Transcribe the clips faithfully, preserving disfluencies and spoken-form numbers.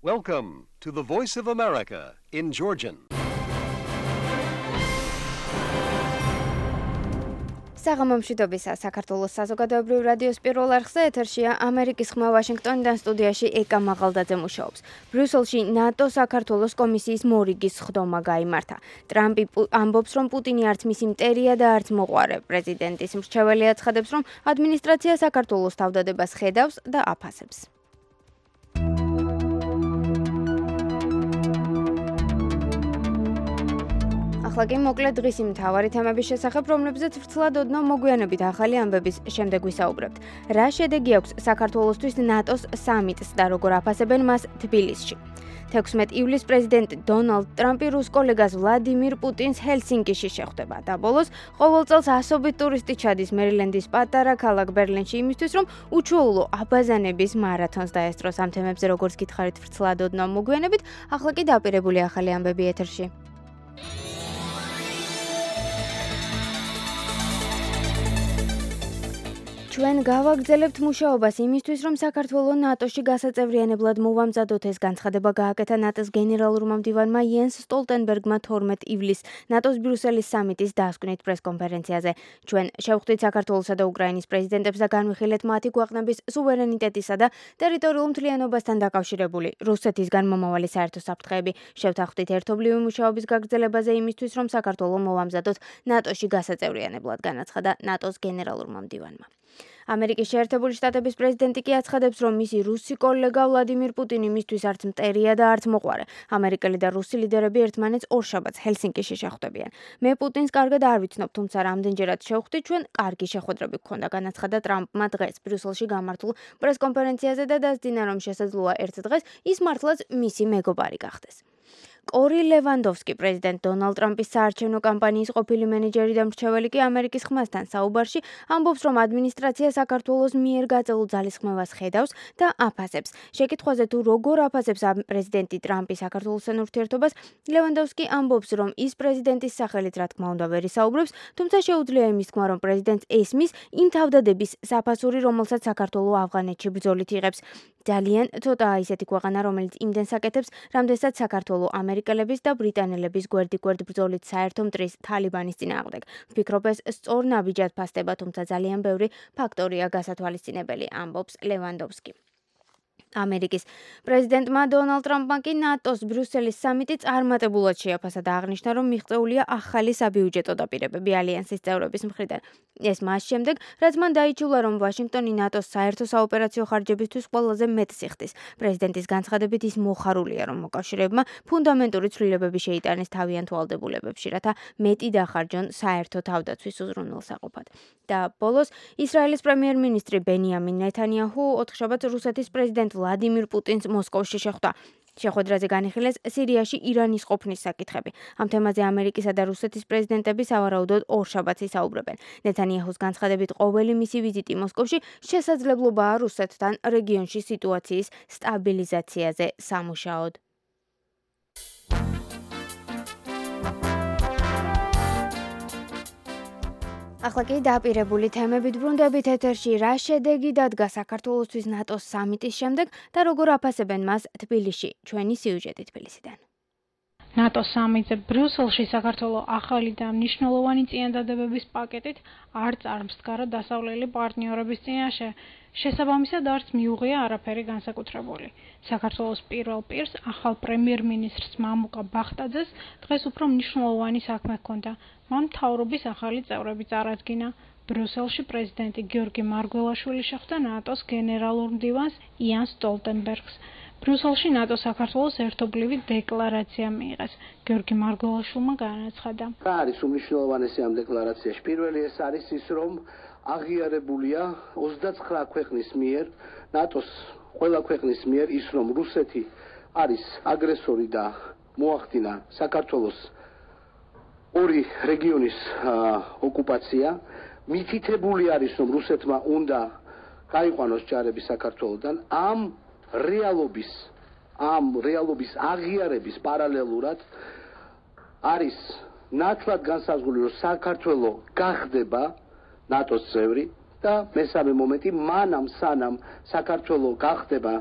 Welcome to the Voice of America in Georgian. საღამომშვიდობისა საქართველოს საზოგადოებრივ რადიოს პირველ არხზე ეთერშია ამერიკის ხმა ვაშინგტონიდან სტუდიაში ეკა მაღალდაძე მუშაობს. ბრიუსელში ნატო საქართველოს კომისიის მორიგის სხდომა გაიმართა. ტრამპი ამბობს, რომ პუტინი არც მისი მტერია და არც მოყვარე. პრეზიდენტის მრჩეველი აცხადებს, რომ ადმინისტრაცია საქართველოს თავდადებას ხედავს და აფასებს. ახლა კი მოკლედ დღის იმ მთავარი თემების შესახებ, რომლებზეც ვრცლად ოდნავ მოგვიანებით ახალი ამბების შემდეგ ვისაუბრებთ. რა შედეგი აქვს საქართველოსთვის ნატოს სამიტს და როგორ აფასებენ მას თბილისში. თექვსმეტ ივლისს პრეზიდენტ დონალდ ტრამპი რუს კოლეგას ვლადიმირ პუტინს ჰელსინკიში შეხვდება და ბოლოს ყოველ წელს ასობით ტურისტი ჩადის მერილენდის პატარა ქალაქ ბერლინში იმისთვის, რომ უჩვეულო აბაზანების მარათონს დაესწროს. ამ თემებზე როგორც გითხარით ვრცლად ოდნავ მოგვიანებით, ახლა კი დაპირებული ახალი ამბები ეთერში. ჩვენ გავაგრძელებთ მუშაობას იმისთვის, რომ საქართველოს ნატოში გასაწევრიანებლად მოვამზადოთ. ეს განცხადება გააკეთა ნატოს გენერალურმა მდივანმა იენს სტოლტენბერგმა თორმეტ ივლისს ნატოს ბრიუსელის სამიტის დასკვნით პრესკონფერენციაზე. ჩვენ შევხვდით საქართველოსა და უკრაინის პრეზიდენტებს და განვიხილეთ მათი ქვეყნების სუვერენიტეტისა და ტერიტორიულ მთლიანობასთან დაკავშირებული რუსეთისგან მომავალი საერთო საფრთხეები. შევთანხმდით ერთობლივი მუშაობის გაგრძელებაზე იმისთვის, რომ საქართველოს მოვამზადოთ ნატოში გასაწევრიანებლად, განაცხადა ნატოს გენერალურმა მდივანმა. ამერიკის შეერთებული შტატების პრეზიდენტი კი აცხადებს, რომ მისი რუსი კოლეგა ვლადიმირ პუტინი მისთვის არც მტერია და არც მოყვარე. ამერიკელი და რუსი ლიდერები ერთმანეთს ორშაბათს ჰელსინკიში შეხვდებიან. მე პუტინს კარგად არ ვიცნობ, თუმცა რამდენჯერად შევხვდით, ჩვენ კარგი შეხვედრები გქონდა, განაცხადა ტრამპმა დღეს ბრიუსელში გამართულ პრესკონფერენციაზე და დასძინა, რომ შესაძლოა ერთ დღეს ის მართლაც მისი მეგობარი გახდეს. კორი ლევანდოვსკი, პრეზიდენტ დონალდ ტრამპის საარჩევნო კამპანიის ყოფილი მენეჯერი და მრჩეველი კი ამერიკის ხმასთან საუბარში ამბობს, რომ ადმინისტრაცია საქართველოს მიერ გაწეულ ძალისხმევას ხედავს და აფასებს. შეკითხვაზე თუ როგორ აფასებს პრეზიდენტი ტრამპი საქართველოსთან ურთიერთობას, ლევანდოვსკი ამბობს, რომ ის პრეზიდენტის სახელით რა თქმა უნდა ვერ ისაუბრებს, თუმცა შეუძლია იმის თქმა, რომ პრეზიდენტს ესმის იმ თავდადების საფასური, რომელსაც საქართველო ავღანეთში ბრძოლით იღებს. ძალიან ცოტაა ისეთი ქვეყანა, რომელიც იმდენს აკეთებს, რამდენსაც საქართველო ამერიკელების და ბრიტანელების გვერდიგვერდ ბრძოლით საერთო მტრის თალიბანის წინააღმდეგ. ვფიქრობ, ეს სწორ ნაბიჯად ფასდება, თუმცა ძალიან ბევრი ფაქტორია გასათვალისწინებელი, ამბობს ლევანდოვსკი. ამერიკის პრეზიდენტმა დონალდ ტრამპმა კი ნატოს ბრიუსელის სამიტი წარმატებულად შეაფასა და აღნიშნა, რომ მიღწეულია ახალი საბიუჯეტო დაპირებები ალიანსის წევრების მხრიდან. ეს მას შემდეგ, რაც მან დაიჩულა, რომ ვაშინგტონი ნატოს საერთო საოპერაციო ხარჯებისთვის ყველაზე მეტს იხდის. პრეზიდენტის განცხადებით ის მოხარულია, რომ მოკავშირეებმა ფუნდამენტური ცვლილებები შეიტანეს თავიანთ ვალდებულებებში, რათა მეტი დახარჯონ საერთო თავდაცვის უზრუნველსაყოფად. და ბოლოს ისრაელის პრემიერ-მინისტრი ბენიამინ ნეთანიაჰუ ოთხშაბათს რუსეთის პრეზიდენტ ვლადიმირ პუტინს მოსკოვში შეხვდა. შეხვედრაზე განიხილეს სირიაში ირანის ყოფნის საკითხები. ამ თემაზე ამერიკისა და რუსეთის პრეზიდენტები სავარაუდოდ ორშაბათს ისაუბრებენ. ნეთანიაჰუს განცხადებით, ყოველი მისი ვიზიტი მოსკოვში შესაძლებლობაა რუსეთთან რეგიონში სიტუაციის სტაბილიზაციაზე სამუშაოდ. ახლა კი დაპირებული თემებით ბრუნდებით ეთერში. რა შედეგი დადგა საქართველოსთვის ნატოს სამიტის შემდეგ და როგორ აფასებენ მას თბილისში? ჩვენი სიუჟეტი თბილისიდან. ნატოს სამიტზე ბრიუსელში საქართველოს ახალი და მნიშვნელოვანი წინადადებების პაკეტით არ წარმსდგარა დასავლელი პარტნიორების წინაშე. შესაბამისად არც მიუღია არაფერი განსაკუთრებული. საქართველოს პირველ პირს ახალ პრემიერ-მინისტრს მამუკა ბახტაძეს დღეს უფრო მნიშვნელოვანი საქმე ჰქონდა. მან მთავრობის ახალი წევრები წარადგინა. ბრიუსელში პრეზიდენტი გიორგი მარგველაშვილი შეხვდა ნატოს გენერალურ მდივანს იენს სტოლტენბერგს. ბრიუსელში ნატო საქართველოს ერთობლივი დეკლარაცია მიიღეს. გიორგი მარგველაშვილმა განაცხადა. რა არის უმნიშვნელოვანესი ამ დეკლარაციაში? პირველი ეს არის ის, რომ აღიარებულია ოცდაცხრა ქვეყნის მიერ, ნატოს ყველა ქვეყნის მიერ ის, რომ რუსეთი არის აგრესორი და მოახდინა საქართველოს ორი რეგიონის ოკუპაცია. მითითებული არის, რომ რუსეთმა უნდა გაიყვანოს ჯარები საქართველოდან. ამ რეალობის ამ რეალობის აღიარების პარალელურად არის ნათლად განსაზღვრული, რომ საქართველო გახდება ნატოს წევრი და მესამე მომენტი, მანამ სანამ საქართველო გახდება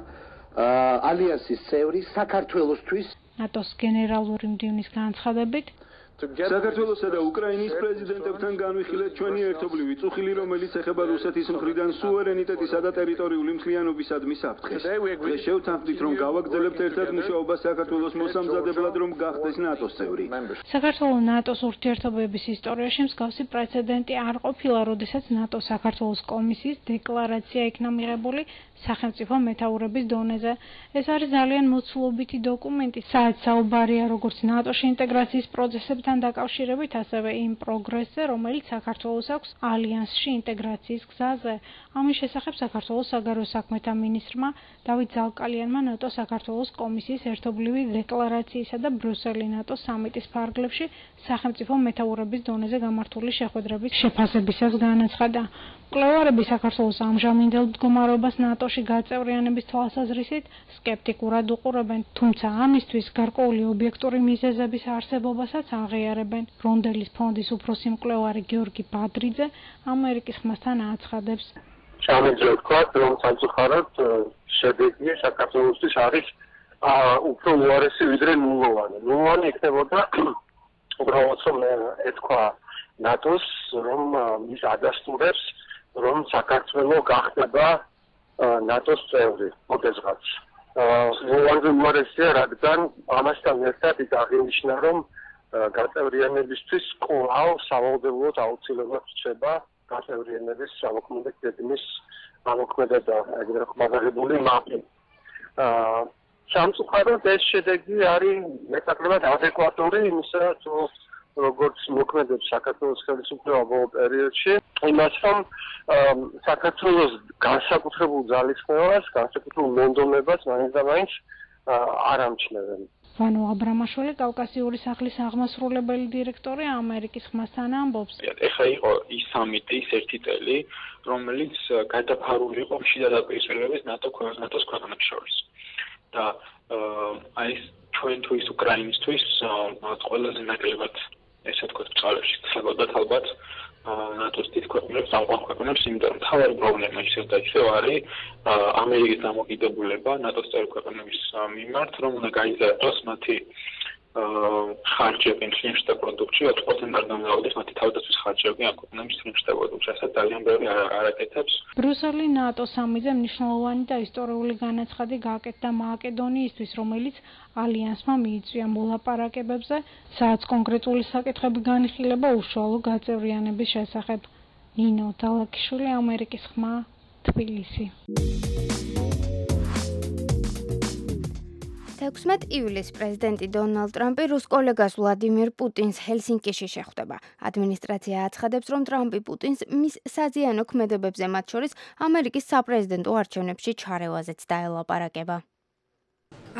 ალიანსის წევრი საქართველოსთვის ნატოს გენერალური მდივნის განცხადებით საქართველოსა და უკრაინის პრეზიდენტებთან განვიხილეთ ჩვენი ერთობლივი წუხილი, რომელიც ეხება რუსეთის მხრიდან სუვერენიტეტისა და ტერიტორიული მთლიანობისადმი საფრთხეს. დღეს შევთანხმდით, რომ გავაგრძელებთ ერთად მუშაობას საქართველოს მოსამზადებლად, რომ გახდეს ნატოს წევრი. საქართველოს ნატოს ურთიერთობების ისტორიაში მსგავსი პრეცედენტი არ ყოფილა, როდესაც ნატო საქართველოს კომისიის დეკლარაცია იქნა მიღებული სახელმწიფო მეთაურების დონეზე. ეს არის ძალიან მოცულობითი დოკუმენტი, სადაც საუბარია როგორც ნატოში ინტეგრაციის პროცესებთან დაკავშირებით, ასევე იმ პროგრესზე, რომელიც საქართველოს აქვს ალიანსში ინტეგრაციის გზაზე. ამის შესახებ საქართველოს საგარეო საქმეთა მინისტრმა დავით ზალკალიანმა ნატო საქართველოს კომისიის ერთობლივი დეკლარაციისა და ბრიუსელი ნატოს სამიტის ფარგლებში სახელმწიფო მეთაურების დონეზე გამართული შეხვედრების შეფასებისას განაცხადა. მკვლევარები საქართველოს ამჟამინდელ მდგომარეობას ნატოში გაწევრიანების თვალსაზრისით სკეპტიკურად უყურებენ, თუმცა ამისთვის გარკვეული ობიექტური მიზეზების არსებობასაც აღიარებენ. რონდელის ფონდის უფროსი მკვლევარი გიორგი ბადრიძე ამერიკის ხმასთან აცხადებს. Ჩამეძლო ვთქვათ, რომ სამწუხაროდ შედეგი საქართველოსთვის არის უფრო უარესი ვიდრე ნულოვანი. ნულოვანი იქნებოდა უბრალოდ რომ ეთქვა ნატოს, რომ ის ადასტურებს, რომ საქართველოს გახდება ნატოს წევრი მოდესღაც. ნულოვანი უარესია, რადგან ამასთან ერთად ის აღინიშნა, რომ გაწევრიანებისთვის კვლავ სავალდებულოდ აუცილებლად რჩება გაწევრიანების სამოქმედო გეგმის ამოქმედება, ეგრეთ ხმადაღებული მაპი. სამწუხაროდ ეს შედეგი არის მეტაკლებად ადეკვატური იმისა, თუ როგორც მოქმედებს საქართველოს ხელისუფლება ბოლო პერიოდში, იმას რომ საქართველოს განსაკუთრებულ ძალისხმევას, განსაკუთრებულ მონდომებას მაინც და მაინც არ ამჩნევენ. ვანო აბრამაშვილი, კავკასიური სახლის აღმასრულებელი დირექტორი ამერიკის ხმასთან ამბობს. ეხლა იყო ის სამიტი, ის ერთი წელი, რომელიც გადაფარული იყო შიდა დაპირისპირებების ნატო ნატოს ქვეყნებს შორის. და აი ეს ჩვენთვის უკრაინისთვის ყველაზე ნაკლებად ესე ვთქვათ წყალებში ხდებოდათ ალბათ ნატოს თით ქვეყნებს, ამყვან ქვეყნებს, იმიტომ რომ თავარი პრობლემა ისევ და ისევ არის ამერიკის დამოკიდებულება ნატოს წევრი ქვეყნების მიმართ, რომ უნდა გაიზარდოს მათი ხარჯები მთლიანში პროდუქტში ოცი პროცენტი არ გამოვიდეს მათი თავდაცვის ხარჯები ამ ქვეყნების მთლიანში პროდუქტში, რასაც ძალიან ბევრი არაკეთებს. ბრიუსელი ნატოს სამიტზე მნიშვნელოვანი და ისტორიული განაცხადი გააკეთა მაკედონიისთვის, რომელიც ალიანსმა მიიწვია მოლაპარაკებებზე, სადაც კონკრეტული საკითხები განიხილება უშუალო გაწევრიანების შესახებ. ნინო დალაკიშვილი, ამერიკის ხმა, თბილისი. თექვსმეტ ივლისს პრეზიდენტი დონალდ ტრამპი რუს კოლეგას ვლადიმირ პუტინს ჰელსინკიში შეხვდება. ადმინისტრაცია აცხადებს, რომ ტრამპი პუტინს მის საზიანო ქმედებებზე, მათ შორის ამერიკის საპრეზიდენტო არჩევნებში ჩარევაზეც დაელაპარაკება.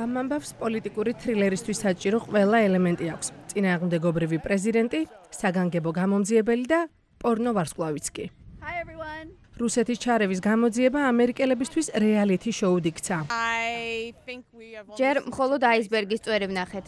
ამ ამბავს პოლიტიკური თრილერისთვის საჭირო ყველა ელემენტი აქვს. წინააღმდეგობრივი პრეზიდენტი, საგანგებო გამომძიებელი და პორნო ვარსკვლავიც კი. რუსეთის ჩარევის გამოძიება ამერიკელებისთვის რეალიტი შოუდ იქცა. ჯერ მხოლოდ აისბერგის წვერი ვნახეთ.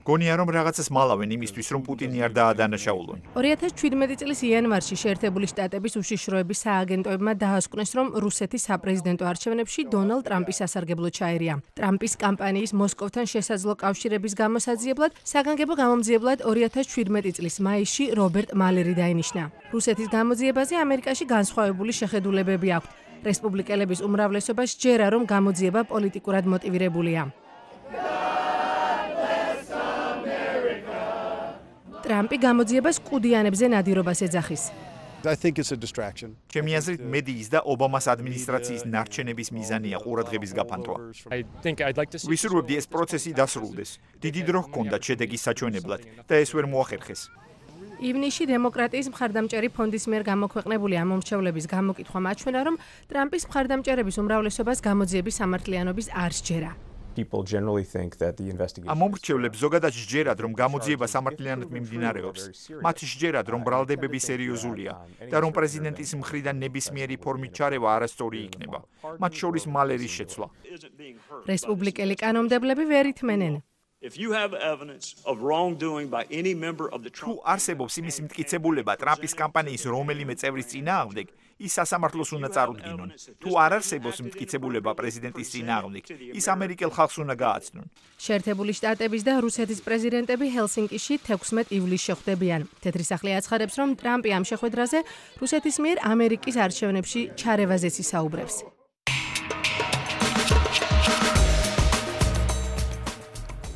გონია რომ რაღაცას მალავენ იმისთვის რომ პუტინი არ დაადანაშაულონ. ორი ათას შვიდმეტი წლის იანვარში შეერთებული შტატების უშიშროების სააგენტოებმა დაასკვნეს, რომ რუსეთის საპრეზიდენტო არჩევნებში დონალდ ტრამპის სასარგებლო ჩაერია. ტრამპის კამპანიის მოსკოვთან შესაძლო კავშირების გამოსაძიებლად საგანგებო გამომძიებლად ორი ათას შვიდმეტი წლის მაისში რობერტ მალერი დაინიშნა. რუსეთის გამოძიებაზე ამერიკაში განსხვავებული შეხედულებები აქვთ. რესპუბლიკელების უმრავლესობა სჯერა, რომ გამოძიება პოლიტიკურად მოტივირებულია. ტრამპი გამოძიებას კუდიანებზე ნადირობას ეძახის. ჩემი აზრით, მედიის და ობამას ადმინისტრაციის ნარჩენების მიზანია ყურადღების გაფანტვა. ვისურვებდი ეს პროცესი დასრულდეს. დიდი დრო ჰქონდათ შედეგის საჩვენებლად და ეს ვერ მოახერხეს. ივნისში დემოკრატიის მხარდამჭერი ფონდის მიერ გამოქვეყნებული ამომრჩევლების გამოკითხვა მაჩვენა, რომ ტრამპის მხარდამჭერების უმრავლესობას გამოძიების სამართლიანობის არ სჯერა. ამომრჩევლებს ზოგადად სჯერათ, რომ გამოძიება სამართლიანად მიმდინარეობს. მათ სჯერათ, რომ ბრალდებები სერიოზულია და რომ პრეზიდენტის მხრიდან ნებისმიერი ფორმით ჩარევა არასწორი იქნება. მათ შორის მალერის შეცვლა. რესპუბლიკელი კანონმდებლები ვერ ითმენენ. If you have evidence of wrongdoing by any member of the თუ არსებობს იმის მტკიცებულება ტრამპის კამპანიის რომელიმე წევრის წინააღმდეგ, ის სასამართლოს უნდა წარუდგინონ. თუ არ არსებობს მტკიცებულება პრეზიდენტის წინააღმდეგ, ის ამერიკელ ხალხს უნდა გააცნონ. შეერთებული შტატების და რუსეთის პრეზიდენტები ჰელსინკიში თექვსმეტ ივლისს შეხვდებიან. თეთრი სახლი აცხადებს, რომ ტრამპი ამ შეხვედრაზე რუსეთის მიერ ამერიკის არჩევნებში ჩარევაზეც ისაუბრებს.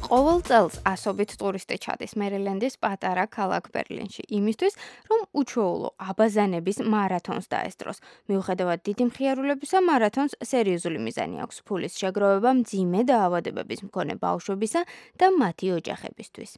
ყოველ წელს ასობით ტურისტი ჩადის მერილენდის პატარა ქალაქ ბერლინში, იმისთვის, რომ უჩვეულო აბაზანების მარათონს დაესწროს. მიუხედავად დიდი მხიარულებისა, მარათონს სერიოზული მიზანი აქვს ფულის შეგროვება მძიმე დაავადებების მქონე ბავშვებისა და მათი ოჯახებისთვის.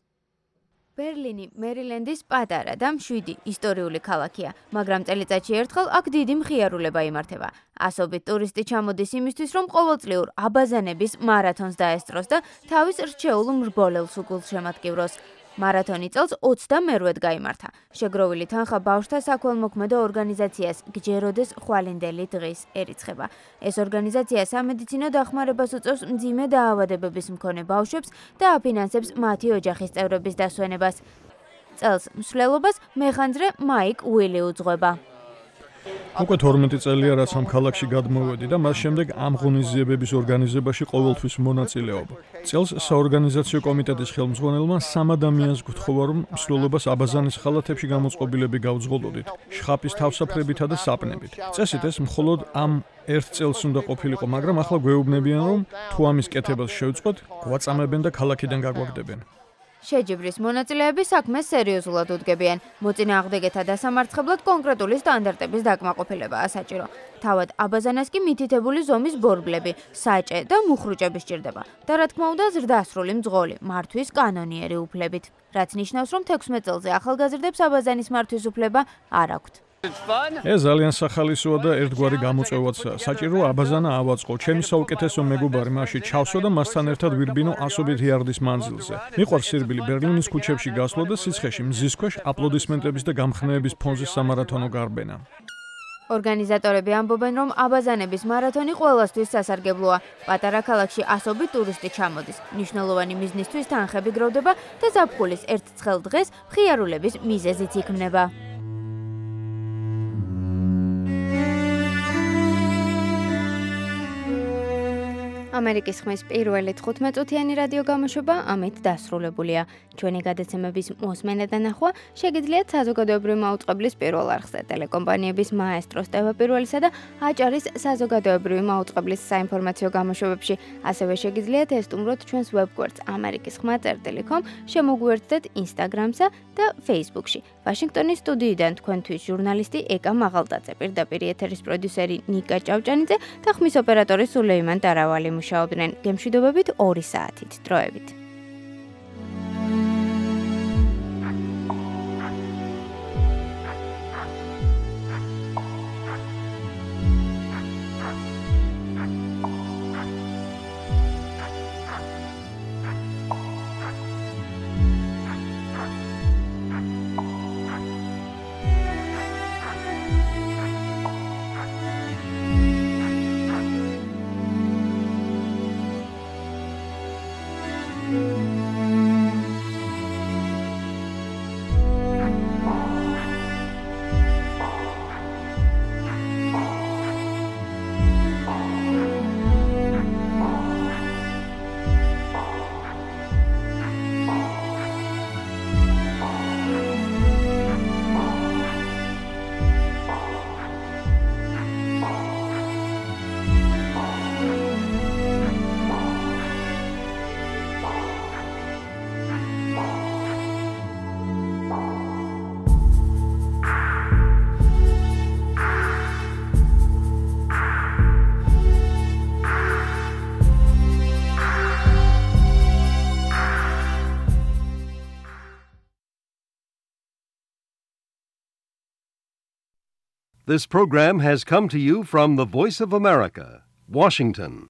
ბერლინი მერილენდის პატარა და მშვიდი ისტორიული ქალაქია, მაგრამ წელიწადში ერთხელ აქ დიდი მხიარულება იმართება. ასობით ტურისტი ჩამოდის იმისთვის, რომ ყოველწლიურ აბაზანების მარათონს დაესწროს და თავის რჩეულ მრბოლელს უგულშემატკივროს. მარათონი წელს ოცდამერვედ გაიმართა. შეგროვილი თანხა ბავშვთა საქველმოქმედო ორგანიზაციას გჯეროდეს ხვალინდელი დღის ერიცხება. ეს ორგანიზაცია სამედიცინო დახმარებას უწევს მძიმე დაავადებების მქონე ბავშვებს და აფინანსებს მათი ოჯახის წევრების დასვენებას. წელს მსვლელობას მეხანძრე მაიკ უილი უძღვება. უკვე თორმეტი წელია რაც ამ ქალაქში გადმოვედი და მას შემდეგ ამ ღონისძიებების ორგანიზებაში ყოველთვის მონაწილეობ. წელს საორგანიზაციო კომიტეტის ხელმძღვანელმა სამ ადამიანს გთხოვა, რომ მსვლელობას აბაზანის ხალათებში გამოწყობილები გავძღოლოდით, შხაპის თავსაფრებითა და საპნებით. წესით ეს მხოლოდ ამ ერთ წელს უნდა ყოფილიყო, მაგრამ ახლა გვეუბნებიან, რომ თუ ამის კეთებას შევწყვეტ, გვაწამებენ და ქალაქიდან გაგვაგდებენ. შეჯიბრის მონაწილეები საქმეს სერიოზულად უდგებიან. მოწინააღმდეგეთა დასამარცხებლად კონკრეტული სტანდარტების დაკმაყოფილებაა საჭირო. თავად აბაზანას კი მითითებული ზომის ბორბლები, საჭე და მუხრუჭები სჭირდება. და რა თქმა უნდა ზრდასრული მძღოლი, მართვის კანონიერი უფლებით. რაც ნიშნავს, რომ თექვსმეტ წელზე ახალგაზრდებს აბაზანის მართვის უფლება არ აქვთ. ეს ძალიან სახალისოა და ერთგვარი გამოწვევაც საჭირო აბაზანა ავაწყო. ჩემი საუკეთესო მეგობარი მასში ჩავსვა და მასთან ერთად ვირბინო ასობით იარდის მანძილზე. მიყვარს სირბილი ბერლინის ქუჩებში გასვლა და სიცხეში მზის ქვეშ აპლოდისმენტების და გამხნევების ფონზე სამარათონო გარბენა. ორგანიზატორები ამბობენ, რომ აბაზანების მარათონი ყველასთვის სასარგებლოა. პატარა ქალაქში ასობით ტურისტი ჩამოდის. მნიშვნელოვანი მიზნისთვის თანხები გროვდება და ზაფხულის ერთ ცხელ დღეს მხიარულების მიზეზიც იქმნება. ამერიკის ხმის პირველი თხუთმეტ-წუთიანი რადიო გამოშვება ამით დასრულებულია. ჩვენი გადაცემების მოსმენა და ნახვა შეგიძლიათ საზოგადოებრივი მაუწყებლის პირველ არხზე, ტელეკომპანიების მაესტროს ტევ-პირველისა და აჭარის საზოგადოებრივი მაუწყებლის საინფორმაციო გამოშვებებში. ასევე შეგიძლიათ ესტუმროთ ჩვენს ვებგვერდს ამერიკის ხმა წერტილი კომ, შემოგვიერთდეთ ინსტაგრამსა და ფეისბუქში. ვაშინგტონის სტუდიიდან თქვენთვის ჟურნალისტი ეკა მაღალდაძე, პირდაპირ ეთერის პროდიუსერი ნიკა ჭავჭანიძე და ხმის ოპერატორი სულეიმან ტარავალი მუშაობდნენ. გემშვიდობებით ორი საათით დროებით. This program has come to you from the Voice of America, Washington.